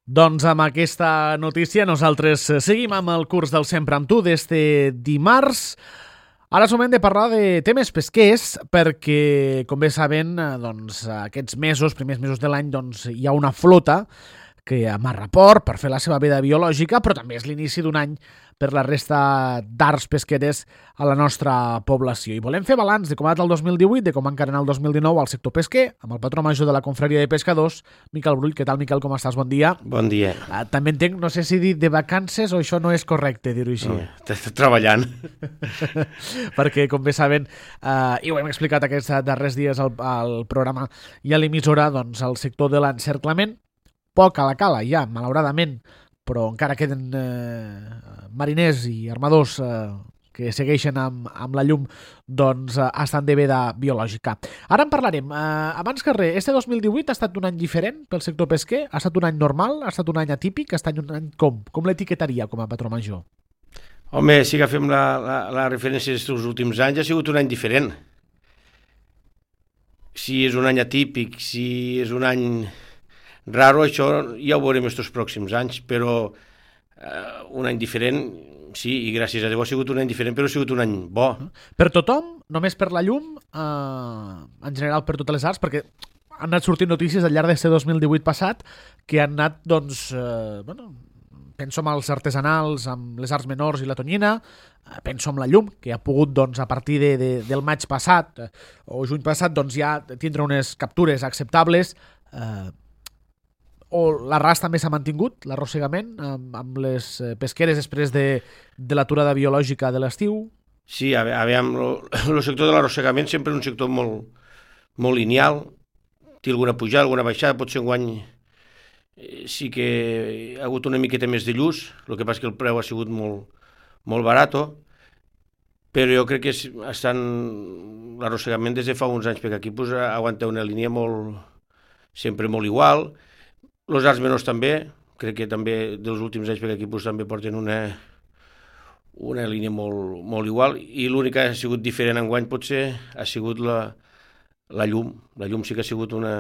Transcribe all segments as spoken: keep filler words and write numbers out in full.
Doncs amb aquesta notícia nosaltres seguim amb el curs del Sempre amb tu d'este dimarts. Ara és moment de parlar de temes pesquers perquè, com bé saben, doncs, aquests mesos, primers mesos de l'any, doncs, hi ha una flota que amarra port per fer la seva vida biològica, però també és l'inici d'un any per la resta d'arts pesqueres a la nostra població. I volem fer balanç de com ha anat el dos mil divuit, de com ha encarat el dos mil dinou al sector pesquer, amb el patró major de la Confraria de Pescadors, Miquel Brull. Què tal, Miquel? Com estàs? Bon dia. Bon dia. Uh, també entenc, no sé si dir de vacances o això no és correcte dir-ho així. No, estàs treballant. Perquè, com bé saben, uh, i ho hem explicat aquests darrers dies al, al programa i a l'emissora, doncs el sector de l'encerclament, poc a la cala ja, malauradament, però encara queden eh, mariners i armadors eh, que segueixen amb, amb la llum, doncs eh, estan de veda biològica. Ara en parlarem. Eh, abans que res, este dos mil divuit ha estat un any diferent pel sector pesquer? Ha estat un any normal? Ha estat un any atípic? Ha estat un any com? Com l'etiquetaria com a patró major? Home, si agafem la, la, la referència dels últims anys, ha sigut un any diferent. Si és un any atípic, si és un any raro, això ja ho veurem estos pròxims anys, però eh, un any diferent, sí, i gràcies a Déu ha sigut un any diferent, però ha sigut un any bo. Per tothom, només per la llum, eh, en general per totes les arts, perquè han anat sortint notícies al llarg d'aquest dos mil divuit passat que han anat, doncs, eh, bueno, penso en els artesanals, amb les arts menors i la tonyina, eh, penso en la llum, que ha pogut, doncs, a partir de, de, del maig passat eh, o juny passat, doncs, ja tindre unes captures acceptables, eh, o l'arràs també s'ha mantingut, l'arrossegament, amb, amb les pesqueres després de, de l'aturada biològica de l'estiu? Sí, a veure, el sector de l'arrossegament sempre és un sector molt, molt lineal, té alguna pujada, alguna baixada, potser enguany sí que ha hagut una miqueta més de lluç, el que passa que el preu ha sigut molt, molt barat, però jo crec que estan l'arrossegament des de fa uns anys, perquè aquí pues, aguanta una línia molt, sempre molt igual. Els arts menors també, crec que també dels últims anys, perquè aquí pues, també porten una, una línia molt, molt igual, i l'únic que ha sigut diferent enguany potser ha sigut la, la llum. La llum sí que ha sigut una,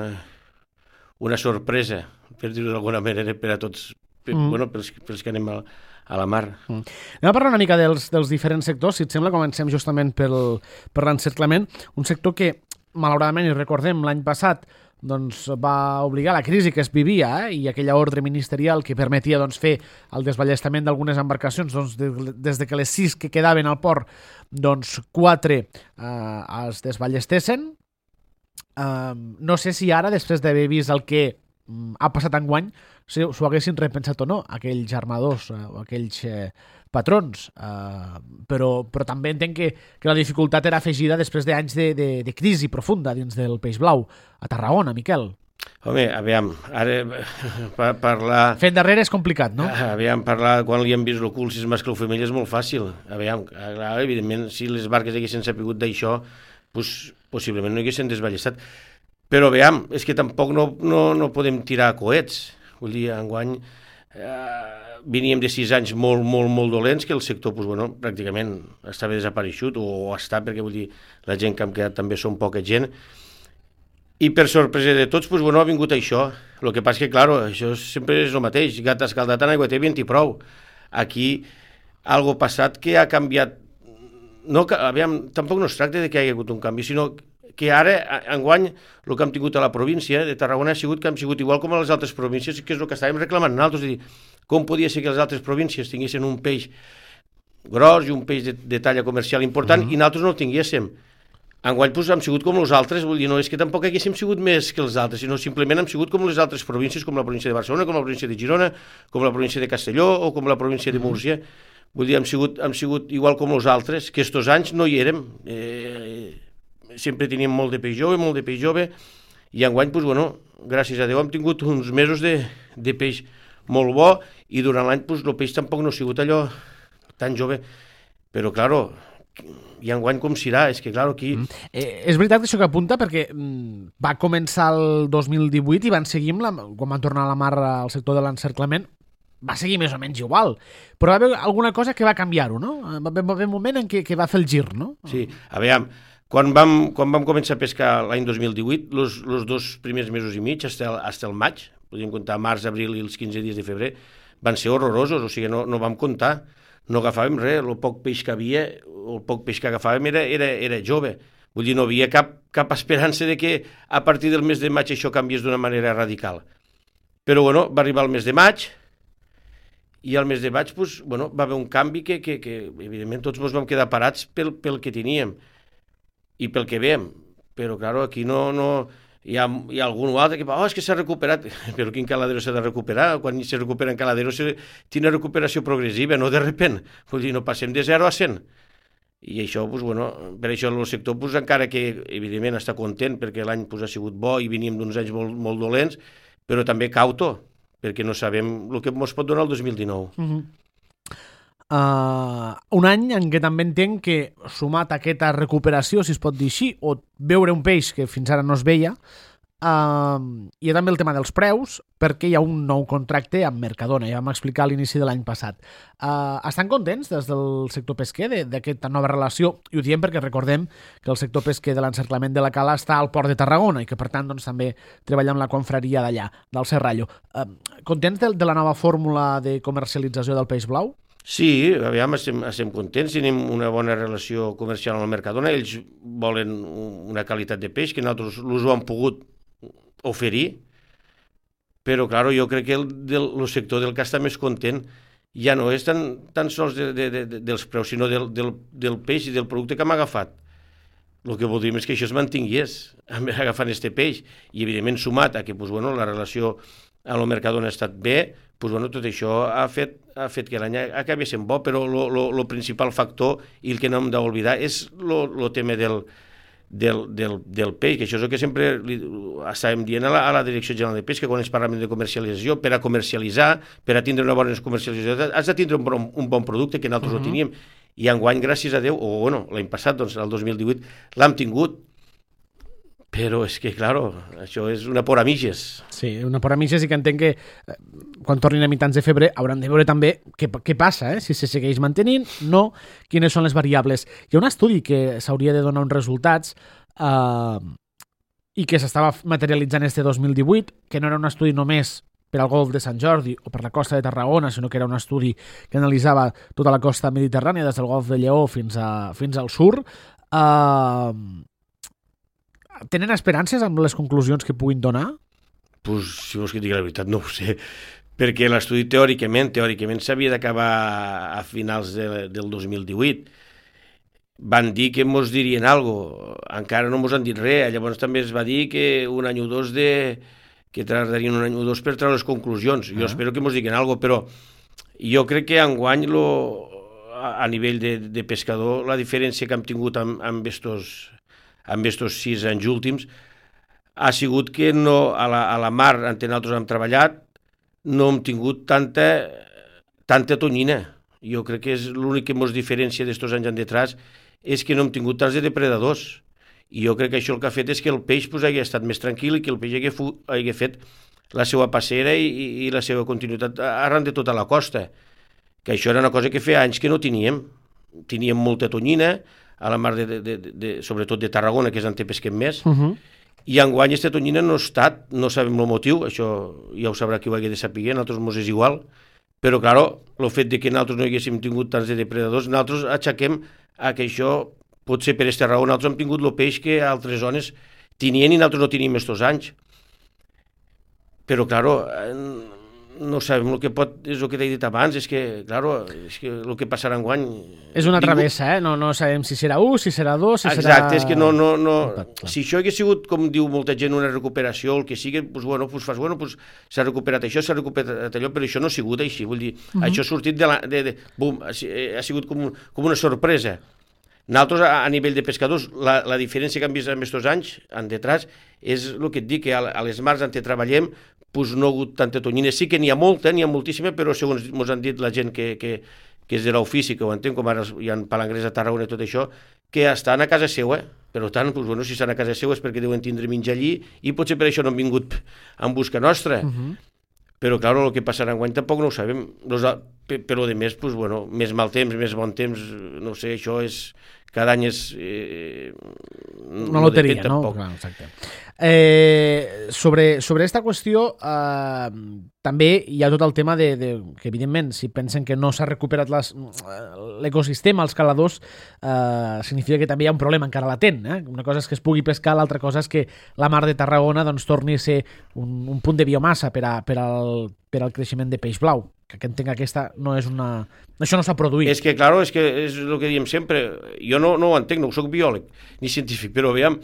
una sorpresa, per dir-ho d'alguna manera, per a tots, per, mm. bueno, pels, pels que anem a, a la mar. Mm. Anem a parlar una mica dels, dels diferents sectors, si et sembla, comencem justament pel, per l'encerclament, un sector que, malauradament, i recordem, l'any passat, doncs va obligar la crisi que es vivia eh, i aquella ordre ministerial que permetia doncs, fer el desballestament d'algunes embarcacions doncs, de, des de que les sis que quedaven al port, doncs quatre eh, es desballestessin. Eh, no sé si ara, després d'haver vist el que mm, ha passat enguany, si s'ho haguessin repensat o no, aquells armadors eh, o aquells eh, patrons, uh, però, però també entenc que, que la dificultat era afegida després d'anys de, de, de crisi profunda dins del peix blau a Tarragona, Miquel. Home, aviam, ara per parlar... Fent darrere és complicat, no? Aviam, parlar quan li han vist el cul, si és mascle o femella, és molt fàcil. Aviam, clar, evidentment, si les barques haguessin sapigut d'això, pues, possiblement no haguessin desballestat. Però aviam, és que tampoc no, no, no podem tirar coets. Vull dir, enguany... Eh, veníem de sis anys molt, molt, molt dolents, que el sector, pues, bueno, pràcticament estava desapareixut, o està, perquè vull dir, la gent que hem quedat també són poca gent, i per sorpresa de tots, pues, bueno, ha vingut això. El que passa que, clar, això sempre és el mateix, gat escaldat en aigua té vent i prou. Aquí, algo passat que ha canviat, no, aviam, tampoc no es tracta de que hi hagi hagut un canvi, sinó que ara, enguany, el que hem tingut a la província de Tarragona ha sigut que hem sigut igual com a les altres províncies, que és el que estàvem reclamant nosaltres, és dir, com podia ser que les altres províncies tinguessin un peix gros i un peix de, de talla comercial important mm-hmm. i nosaltres no el tinguéssim. Enguany doncs, hem sigut com els altres, vull dir, no és que tampoc haguéssim sigut més que els altres, sinó simplement hem sigut com les altres províncies, com la província de Barcelona, com la província de Girona, com la província de Castelló o com la província de Múrcia. Vull dir, hem sigut, hem sigut igual com els altres, que estos anys no hi érem. Eh, sempre teníem molt de peix jove, molt de peix jove, i enguany, doncs, bueno, gràcies a Déu, hem tingut uns mesos de, de peix molt bo, i durant l'any doncs, el peix tampoc no ha sigut allò tan jove, però, claro, i enguany com serà, és que, clar, aquí... Mm. Eh, és veritat això que apunta, perquè mm, va començar el dos mil divuit i van seguir, la, quan van tornar a la mar al sector de l'encerclament, va seguir més o menys igual, però va haver alguna cosa que va canviar-ho, no? Va haver un moment en què, que va fer el gir, no? Sí, a veure, quan vam, quan vam començar a pescar l'any dos mil divuit, els dos primers mesos i mig, fins el, el maig, podríem comptar març, abril i els quinze dies de febrer, van ser horrorosos, o sigui, no, no vam comptar, no agafàvem res, el poc peix que havia, el poc peix que agafàvem era, era, era jove. Vull dir, no havia cap, cap esperança de que a partir del mes de maig això canviés d'una manera radical. Però, bueno, va arribar el mes de maig, i al mes de maig, pues, bueno, va haver un canvi que, que, que evidentment, tots ens vam quedar parats pel, pel que teníem i pel que veiem. Però, clar, aquí no... no hi, ha, hi ha algun altre que va, oh, és que s'ha recuperat. Però quin caladero s'ha de recuperar? Quan se recupera en caladero se, tiene recuperació progressiva, no de repent. Vull dir, no passem de zero a cent. I això, pues, bueno, per això el sector, pues, encara que evidentment està content perquè l'any, pues, ha sigut bo i veníem d'uns anys molt, molt dolents, però també cauto, perquè no sabem el que ens pot donar el dos mil dinou. Uh-huh. uh, un any en què també entenc que, sumat a aquesta recuperació, si es pot dir així, o veure un peix que fins ara no es veia, uh, hi ha també el tema dels preus, perquè hi ha un nou contracte amb Mercadona, ja vam explicar a l'inici de l'any passat. Uh, estan contents des del sector pesquer d'aquesta nova relació? I ho diem perquè recordem que el sector pesquer de l'encerclament de la Cala està al port de Tarragona i que, per tant, doncs, també treballa amb la confraria d'allà, del Serrallo. Uh, contents de, de la nova fórmula de comercialització del peix blau? Sí, aviam, estem, estem contents, tenim una bona relació comercial amb el Mercadona, ells volen una qualitat de peix que nosaltres l'us ho han pogut oferir, però, clar, jo crec que el, del, el sector del que està més content ja no és tan, tan sols de, de, de, dels preus, sinó del, del, del peix i del producte que hem agafat. El que voldríem és que això es mantingués agafant este peix, i evidentment sumat a que, pues, bueno, la relació amb el Mercadona ha estat bé, pues, bueno, tot això ha fet, ha fet que l'any acabi sent bo, però el principal factor i el que no hem d'oblidar és el tema del Del, del, del peix, que això és el que sempre li, estàvem dient a la, a la Direcció General de Pesca quan ens parlem de comercialització. Per a comercialitzar, per a tindre una bona comercialització, has de tindre un bon, un bon producte, que nosaltres uh-huh. no teníem, i enguany, gràcies a Déu, o bueno, l'any passat, doncs, el dos mil divuit, l'hem tingut. Però és que, claro, això és una por a mitges. Sí, una por a mitges, i que entenc que eh, quan tornin a mitjans de febrer hauran de veure també què, què passa, eh? Si se segueix mantenint, no, quines són les variables. Hi ha un estudi que s'hauria de donar uns resultats eh, i que s'estava materialitzant este dos mil divuit, que no era un estudi només per al golf de Sant Jordi o per la costa de Tarragona, sinó que era un estudi que analitzava tota la costa mediterrània, des del golf de Lleó fins, a, fins al sur. Eh... Tenen esperances amb les conclusions que puguin donar? Pues, si vols que digui la veritat, no ho sé, perquè l'estudi teòricament, teòricament s'havia d'acabar a finals de, del dos mil divuit. Van dir que mos dirien alguna cosa, encara no mos han dit res, llavors també es va dir que un any o dos de... que tardarien un any o dos per treure les conclusions. Jo ah. espero que mos diguin alguna cosa, però jo crec que enguany lo, a, a nivell de, de pescador la diferència que hem tingut amb, amb estos amb estos sis anys últims, ha sigut que no, a, la, a la mar on nosaltres hem treballat no hem tingut tanta, tanta tonyina. Jo crec que és l'únic que ens diferència d'estos anys endetrás és que no hem tingut tants de depredadors. I jo crec que això el que ha fet és que el peix pues, hagi estat més tranquil i que el peix hagi, fu, hagi fet la seva passera i, i, i la seva continuïtat arran de tota la costa. Que això era una cosa que feia anys que no teníem. Teníem molta tonyina, a la mar, de, de, de, de, sobretot de Tarragona, que és on te pesquem més, uh-huh. i enguany aquesta tonyina no ha estat, no sabem el motiu, això ja ho sabrà qui ho hagi de saber, nosaltres mos és igual, però, clar, el fet de que nosaltres no haguéssim tingut tants de depredadors, nosaltres aixequem a que això, pot ser per aquesta raó, nosaltres hem tingut el peix que altres zones tenien i nosaltres no tenim estos anys. Però, clar, no sabem el que pot, és el que t'he dit abans, és que, claro, és que el que passarà enguany... És una travessa, eh? No, no sabem si serà u, si serà dos, si Exacte, serà... Exacte, és que no... no, no... Si això hagués sigut, com diu molta gent, una recuperació, el que sigui, doncs, bueno, doncs fas, bueno, doncs s'ha recuperat això, s'ha recuperat allò, però això no ha sigut així, vull dir, uh-huh. això ha sortit de la... De, de, bum, ha, ha sigut com, com una sorpresa. Nosaltres, a, a nivell de pescadors, la, la diferència que hem vist en aquests anys, en detrás, és el que et dic, que a, a les mars on treballem, pues no ha hagut tanta tonyina. Sí que n'hi ha molta, n'hi ha moltíssima, però segons ens han dit la gent que, que, que és de l'ofici, que ho entén, com ara hi ha palangrers a Tarragona i tot això, que estan a casa seva. Per tant, pues, bueno, si estan a casa seva és perquè deuen tindre menjar allí i potser per això no han vingut en busca nostra. Uh-huh. Però, clar, el que passarà enguany tampoc no ho sabem. Nos, però de més, pues, bueno, més mal temps, més bon temps, no sé, això és... Cada any és... Eh, una loteria, no? Clar, exacte. Eh, sobre, sobre esta qüestió, eh, també hi ha tot el tema de, de que, evidentment, si pensen que no s'ha recuperat les, l'ecosistema, els caladors, eh, significa que també hi ha un problema encara latent. Eh? Una cosa és que es pugui pescar, l'altra cosa és que la mar de Tarragona doncs, torni a ser un, un punt de biomassa per, a, per, al, per al creixement de peix blau. Que entenc que aquesta no és una... Això no s'ha produït. És que, claro, és que és el que diem sempre. Jo no, no ho entenc, no soc biòleg ni científic, però veiem,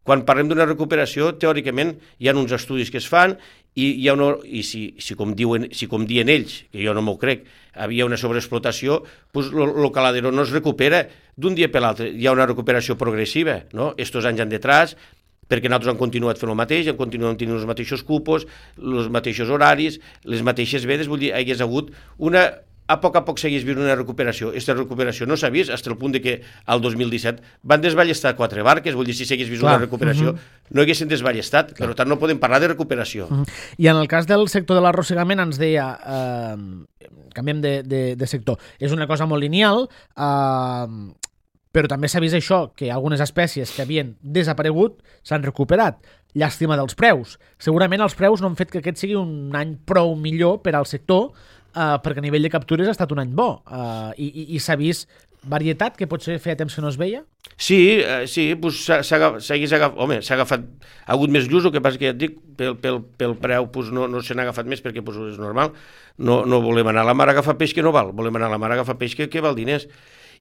quan parlem d'una recuperació, teòricament hi ha uns estudis que es fan i, hi ha una, i si, si, com diuen, si com diuen ells, que jo no m'ho crec, havia una sobreexplotació, doncs el caladero no es recupera d'un dia per l'altre. Hi ha una recuperació progressiva, no? Estos anys han detrás, perquè nosaltres hem continuat fent el mateix, hem continuat tenint els mateixos cupos, els mateixos horaris, les mateixes vedes, vull dir, hi hagués hagut una... A poc a poc seguís vist una recuperació. Aquesta recuperació no s'ha vist, fins al punt de que al dos mil disset van desballestar quatre barques, vull dir, si s'hagués vist Clar. una recuperació, uh -huh. no haguessin desballestat, Clar. per tant no podem parlar de recuperació. Uh -huh. I en el cas del sector de l'arrossegament ens deia, eh, canviem de, de, de sector, és una cosa molt lineal, eh, però també s'ha vist això, que algunes espècies que havien desaparegut s'han recuperat. Llàstima dels preus. Segurament els preus no han fet que aquest sigui un any prou millor per al sector, Uh, perquè a nivell de captures ha estat un any bo uh, i, i, i s'ha vist varietat que potser feia temps que no es veia? Sí, uh, sí, pues s'ha agafat, home, s'ha agafat, ha hagut més llus, el que passa que ja et dic, pel, pel, pel preu pues no, no se n'ha agafat més perquè pues, és normal, no, no volem anar a la mar a agafar peix que no val, volem anar a la mar a agafar peix que, que val diners.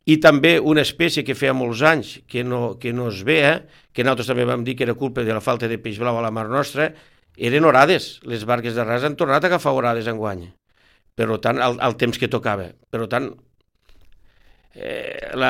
I també una espècie que feia molts anys que no, que no es veia, que nosaltres també vam dir que era culpa de la falta de peix blau a la mar nostra, eren orades. Les barques de ras han tornat a agafar orades enguany. Per tant, al, al temps que tocava. Per tant, eh, la,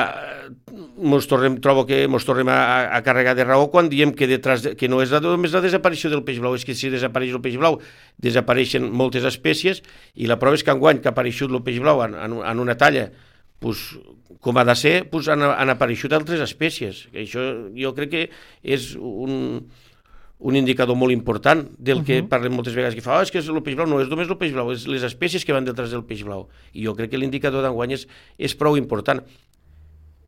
mos tornem, trobo que ens tornem a, a carregar de raó quan diem que, detrás de, que no és la, només la desaparició del peix blau, és que si desapareix el peix blau, desapareixen moltes espècies, i la prova és que enguany que ha apareixut el peix blau en, en, en una talla, pues, com ha de ser, pues, han, han apareixut altres espècies. Això jo crec que és un... un indicador molt important del que uh -huh. parlem moltes vegades, que fa, oh, és que el peix blau no és només el peix blau, és les espècies que van detrás del peix blau. I jo crec que l'indicador d'enguany és, és prou important.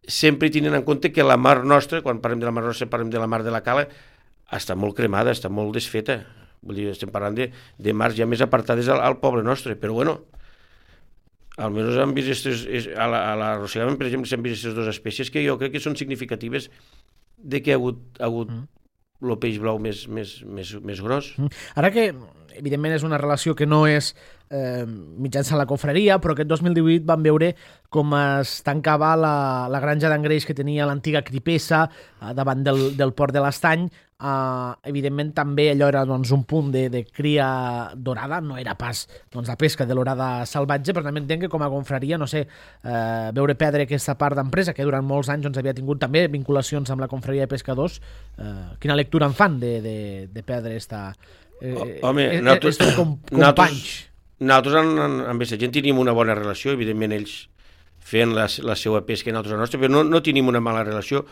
Sempre tenint en compte que la mar nostra, quan parlem de la mar nostra, parlem de la mar de la Cala, està molt cremada, està molt desfeta. Vull dir, estem parlant de, de mars ja més apartades al, al poble nostre, però bueno, almenys han vist estes, a l'arrossegament, per exemple, s'han vist aquestes dues espècies que jo crec que són significatives de que ha hagut, ha hagut uh -huh. el peix blau més, més, més, més gros. Ara que, evidentment, és una relació que no és eh, mitjançant la confraria, però aquest dos mil divuit vam veure com es tancava la, la granja d'engreix que tenia l'antiga Cripessa eh, davant del, del port de l'Estany. Uh, evidentment també allò era doncs, un punt de, de cria dorada, no era pas doncs, la pesca de l'orada salvatge, però també entenc que com a confraria, no sé, uh, veure perdre aquesta part d'empresa que durant molts anys doncs, havia tingut també vinculacions amb la confraria de pescadors, uh, quina lectura en fan de, de, de perdre esta, eh, Home, eh, nosaltres, eh, com, companys? Nosaltres amb, amb aquesta gent tenim una bona relació, evidentment ells feien la, la seva pesca i nosaltres la nostra, però no, no tenim una mala relació.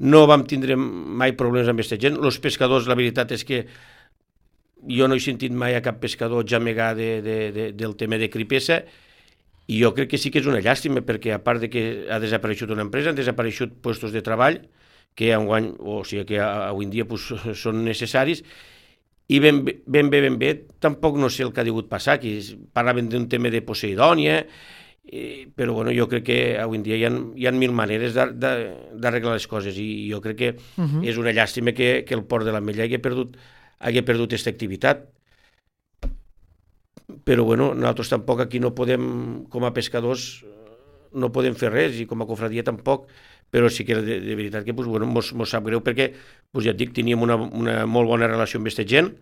No vam tindre mai problemes amb aquesta gent. Els pescadors, la veritat és que jo no he sentit mai a cap pescador jamegar de, de, de, del tema de Cripessa, i jo crec que sí que és una llàstima, perquè a part de que ha desapareixut una empresa, han desapareixut puestos de treball, que enguany, o sigui que avui en dia pues, són necessaris, i ben, ben bé, ben bé, tampoc no sé el que ha degut passar, que parlaven d'un tema de Poseidònia, Eh, però bueno, jo crec que avui en dia hi ha, hi ha mil maneres d'arreglar les coses, i jo crec que uh -huh. és una llàstima que, que el port de l'Ametlla hagi perdut hagi perdut aquesta activitat, però bueno, nosaltres tampoc aquí no podem, com a pescadors no podem fer res, i com a confraria tampoc, però sí que de, de veritat que pues, bueno, mos, mos sap greu, perquè pues, ja et dic, teníem una, una molt bona relació amb aquesta gent.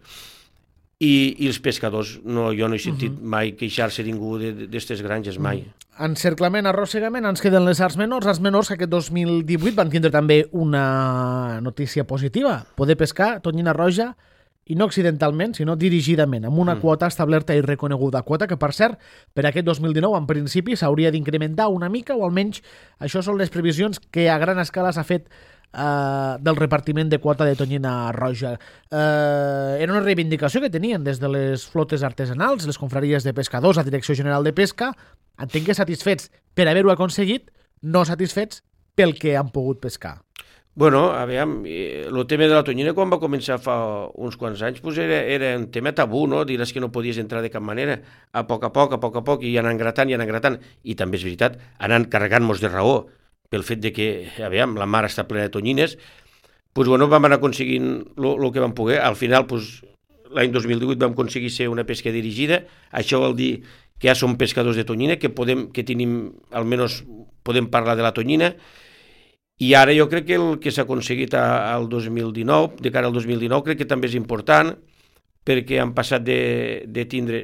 I, i els pescadors, no, jo no he sentit uh -huh. mai queixar-se ningú d'aquestes granges, mai. Uh-huh. Encerclament, arrossegament, ens queden les arts menors. Arts menors que aquest dos mil divuit van tindre també una notícia positiva, poder pescar tonyina roja, i no accidentalment, sinó dirigidament, amb una mm. quota establerta i reconeguda. Quota que, per cert, per aquest dos mil dinou, en principi, s'hauria d'incrementar una mica, o almenys això són les previsions que a gran escala s'ha fet eh, del repartiment de quota de tonyina roja. Eh, era una reivindicació que tenien des de les flotes artesanals, les confraries de pescadors, la Direcció General de Pesca. Entenc que satisfets per haver-ho aconseguit, no satisfets pel que han pogut pescar. Bueno, a veure, el tema de la tonyina quan va començar fa uns quants anys pues era, era un tema tabú, no? Diràs que no podies entrar de cap manera. A poc a poc, a poc a poc, i anant gratant, i anant gratant. I també és veritat, anant carregant-nos de raó pel fet de que, a veure, la mar està plena de tonyines, pues, bueno, vam anar aconseguint el que vam poder. Al final, pues, l'any dos mil divuit vam aconseguir ser una pesca dirigida. Això vol dir que ja som pescadors de tonyina, que podem, que tenim, almenys podem parlar de la tonyina. I ara jo crec que el que s'ha aconseguit al dos mil dinou, de cara al dos mil dinou, crec que també és important, perquè han passat de, de tindre,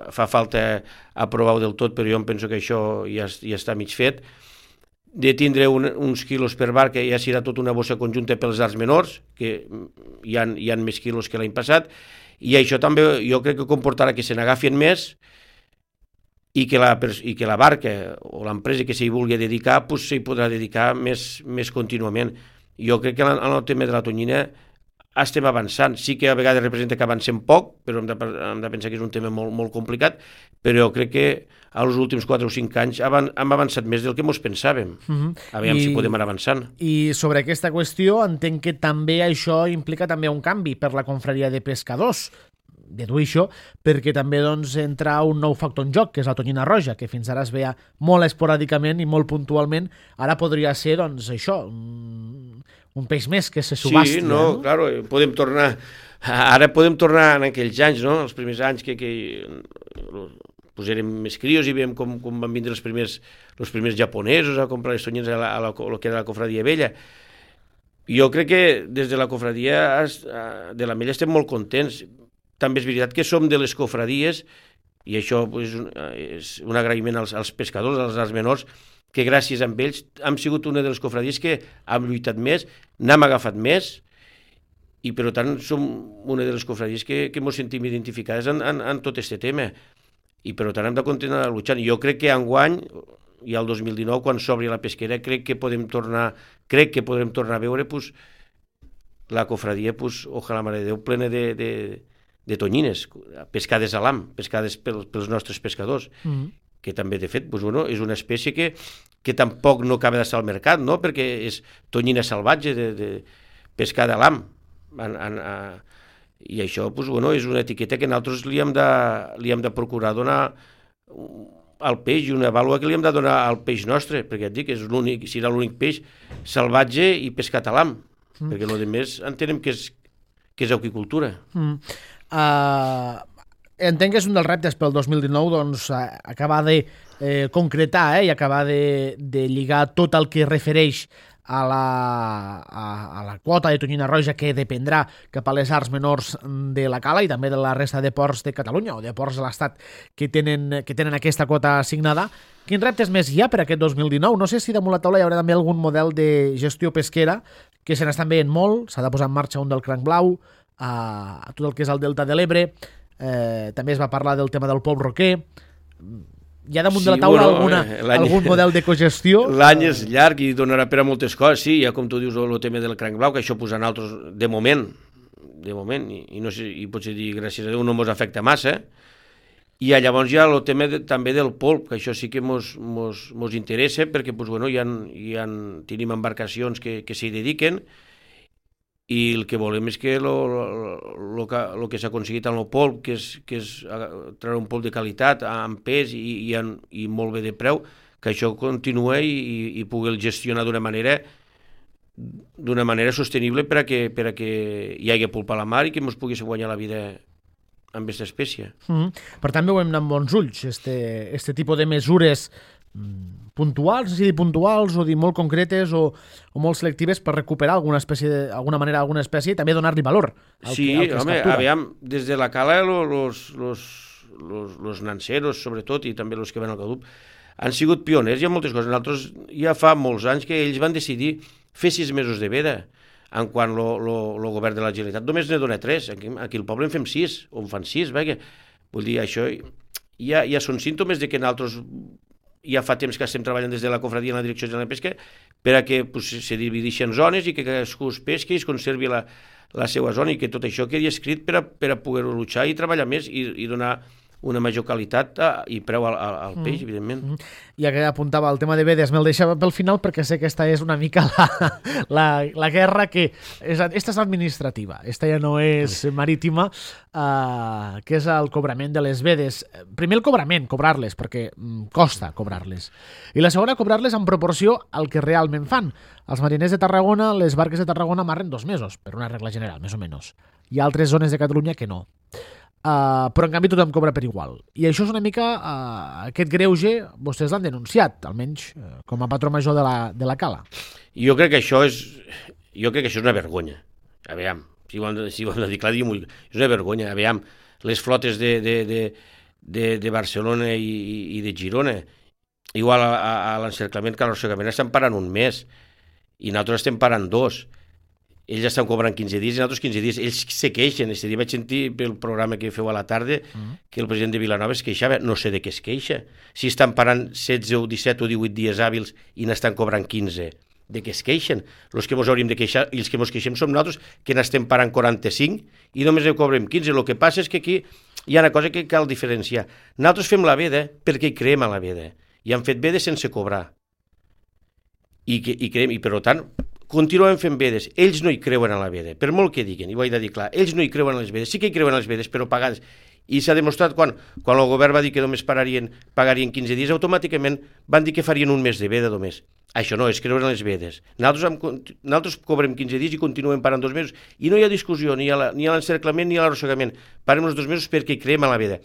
fa falta aprovar-ho del tot, però jo em penso que això ja, ja està mig fet, de tindre un, uns quilos per barca, ja serà tota una bossa conjunta pels arts menors, que hi ha, hi ha més quilos que l'any passat, i això també jo crec que comportarà que se n'agafin més, i que la, i que la barca o l'empresa que s'hi vulgui dedicar pues, s'hi podrà dedicar més, més contínuament. Jo crec que en el tema de la tonyina estem avançant. Sí que a vegades representa que avancem poc, però hem de, hem de pensar que és un tema molt, molt complicat, però jo crec que als últims quatre o cinc anys hem avançat més del que ens pensàvem. Uh-huh. A veure si podem anar avançant. I sobre aquesta qüestió entenc que també això implica també un canvi per la confraria de pescadors. Dedueixo, perquè també doncs, entra un nou factor en joc, que és la tonyina roja, que fins ara es veia molt esporàdicament i molt puntualment. Ara podria ser, doncs, això, un, un peix més que se subhasti. Sí, no, no? Claro, podem tornar... Ara podem tornar en aquells anys, no?, els primers anys que, que pues érem més crios i veiem com, com van vindre els primers, els primers japonesos a comprar les tonyines a, la, a, la, a lo que era la cofradia vella. Jo crec que des de la cofradia de l'Ametlla estem molt contents. També és veritat que som de les cofradies, i això és un, és un agraïment als, als pescadors, als arts menors, que gràcies a ells hem sigut una de les cofradies que hem lluitat més, n'hem agafat més, i per tant som una de les cofradies que, que ens sentim identificades en, en, en tot aquest tema. I per tant hem de continuar lluitant. Jo crec que enguany, i al dos mil dinou, quan s'obri la pesquera, crec que podem tornar, crec que podrem tornar a veure pues, la cofradia, pues, ojalà mare de Déu, plena de... de de tonyines, pescades a l'am, pescades pel, pels nostres pescadors, mm. que també, de fet, doncs, bueno, és una espècie que, que tampoc no acaba d'estar al mercat, no?, perquè és tonyina salvatge de, de pescada a l'am. En, en, a... I això doncs, bueno, és una etiqueta que nosaltres li hem de, li hem de procurar donar al peix, i una vàlua que li hem de donar al peix nostre, perquè et dic, és l'únic, serà l'únic peix salvatge i pescat a l'am, mm. perquè el més entenem que és, que és aquicultura. Mm. Uh, entenc que és un dels reptes pel dos mil dinou, doncs, acabar de eh, concretar eh, i acabar de, de lligar tot el que refereix a la, a, a la quota de tonyina roja que dependrà cap a les arts menors de la Cala i també de la resta de ports de Catalunya o de ports de l'Estat que tenen, que tenen aquesta quota assignada. Quins reptes més hi ha per aquest dos mil dinou? No sé si damunt la taula hi haurà també algun model de gestió pesquera, que se n'estan veient molt, s'ha de posar en marxa un del cranc blau, a tot el que és el Delta de l'Ebre, eh, també es va parlar del tema del polp roquer. Hi ha damunt sí, de la taula bueno, alguna, algun model de cogestió? L'any és llarg i donarà per a moltes coses, sí, ja com tu dius el tema del cranc blau, que això posa altres de moment, de moment, i, i, no sé, i potser dir gràcies a Déu no ens afecta massa, i llavors hi ha el tema de, també del polp, que això sí que ens interessa, perquè pues, bueno, hi ha, hi ha, tenim embarcacions que, que s'hi dediquen, i el que volem és que el que, que s'ha aconseguit amb el polp, que és, que és treure un polp de qualitat, amb pes i, i, en, i molt bé de preu, que això continua i, i pugui gestionar d'una manera d'una manera sostenible per a que, per a que hi hagi polp a la mar i que ens pugui guanyar la vida amb aquesta espècie. Mm-hmm. Per tant, veiem amb bons ulls este, este tipus de mesures puntuals, no sé si dir puntuals o dir molt concretes o, o molt selectives per recuperar alguna espècie, d'alguna manera alguna espècie i també donar-li valor al sí, que, al que home, es captura. Aviam, des de la Cala los, los, los, los nanceros, sobretot, i també els que van al Cadup, han sigut pioners i en moltes coses. Nosaltres ja fa molts anys que ells van decidir fer sis mesos de veda, en quan el govern de la Generalitat només ne dona tres. Aquí, aquí al poble en fem sis, o en fan sis, perquè vull dir, això ja, ja són símptomes de que nosaltres ja fa temps que estem treballant des de la confraria en la Direcció General de Pesca per a que pues, se divideixin zones i que cadascú es pesqui i es conservi la, la seva zona i que tot això quedi escrit per a, per a poder luchar i treballar més i, i donar una major qualitat i preu al, al peix, mm. evidentment. Mm. Ja que apuntava el tema de vedes, me'l deixava pel final perquè sé que esta és una mica la, la, la guerra que... És, esta és administrativa, esta ja no és marítima, uh, que és el cobrament de les vedes. Primer el cobrament, cobrar-les, perquè mm, costa cobrar-les. I la segona, cobrar-les en proporció al que realment fan. Els mariners de Tarragona, les barques de Tarragona amarren dos mesos, per una regla general, més o menys. Hi ha altres zones de Catalunya que no. Uh, però en canvi tothom cobra per igual i això és una mica uh, aquest greuge vostès l'han denunciat, almenys uh, com a patró major de la, de la cala. Jo crec que això és jo crec que això és una vergonya. Aviam, si ho hem de, si ho hem de dir clar, diguem-ho, és una vergonya. Aviam, les flotes de, de, de, de, de Barcelona i, i de Girona, igual a, a, a l'encerclament que a l'arrossegament estan parant un mes i nosaltres estem parant dos. Ells estan cobrant quinze dies i nosaltres quinze dies. Ells se queixen. Este dia vaig sentir pel programa que feu a la tarda mm. que el president de Vilanova es queixava. No sé de què es queixa. Si estan parant setze o disset o divuit dies hàbils i n'estan cobrant quinze, de què es queixen? Els que ens hauríem de queixar i els que ens queixem som nosaltres, que n'estem parant quaranta-cinc i només en cobrem quinze. El que passa és que aquí hi ha una cosa que cal diferenciar. Nosaltres fem la veda perquè hi creem a la veda. I han fet veda sense cobrar. I, que, i, creem, i per tant... continuem fent vedes, ells no hi creuen a la veda, per molt que diguin, i ho he de dir clar, ells no hi creuen a les vedes, sí que hi creuen a les vedes, però pagades, i s'ha demostrat quan, quan el govern va dir que només pararien, pagarien quinze dies, automàticament van dir que farien un mes de veda només. Això no, és creure en les vedes. Nosaltres, hem, nosaltres cobrem quinze dies i continuem parant dos mesos, i no hi ha discussió ni a l'encerclament ni a l'arrossegament, parem els dos mesos perquè hi creem a la veda.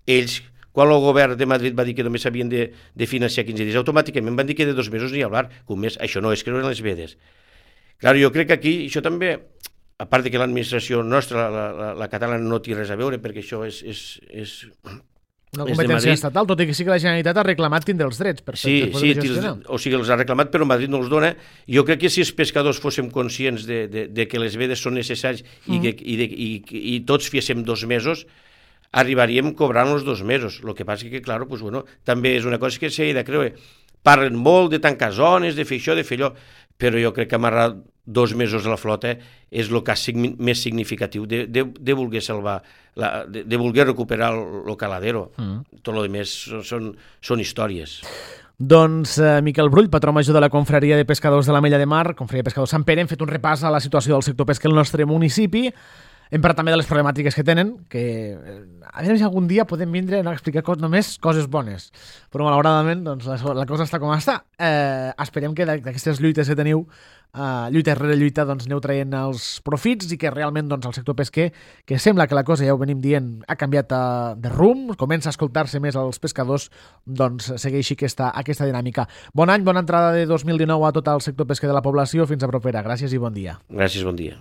Ells, quan el govern de Madrid va dir que només s'havien de, de financiar quinze dies, automàticament van dir que de dos mesos ni hablar, que un mes, això no és creure en les vedes. Clar, jo crec que aquí, això també, a part de que l'administració nostra, la, la, la catalana, no té res a veure, perquè això és... és, és una competència estatal, tot i que sí que la Generalitat ha reclamat tindre els drets per, sí, per poder sí, gestionar. Sí, o sigui, els ha reclamat, però Madrid no els dona. Jo crec que si els pescadors fóssim conscients de, de, de que les vedes són necessàries mm. i, que, i, de, i, i tots fiéssim dos mesos, arribaríem cobrant els dos mesos. El que passa que, clar, pues, bueno, també és una cosa que s'ha de creure. Parlen molt de tancar zones, de fer això, de fer allò, però jo crec que amarrar dos mesos a la flota és el cas més significatiu de, de, de voler salvar, la, de, de voler recuperar el, el caladero. Mm. Tot el més són, són històries. Doncs eh, Miquel Brull, patró major de la Confraria de Pescadors de la Mella de Mar, Confraria de Pescadors Sant Pere, hem fet un repàs a la situació del sector pesca al nostre municipi. Hem parlat també de les problemàtiques que tenen, que a veure si algun dia podem vindre a explicar cos, només coses bones. Però malauradament doncs, la, la cosa està com està. Eh, esperem que d'aquestes lluites que teniu, eh, lluita rere lluita, doncs, aneu traient els profits i que realment doncs, el sector pesquer, que sembla que la cosa, ja ho venim dient, ha canviat eh, de rumb, comença a escoltar-se més als pescadors, doncs segueixi aquesta, aquesta dinàmica. Bon any, bona entrada de dos mil dinou a tot el sector pesquer de la població. Fins a propera. Gràcies i bon dia. Gràcies, bon dia.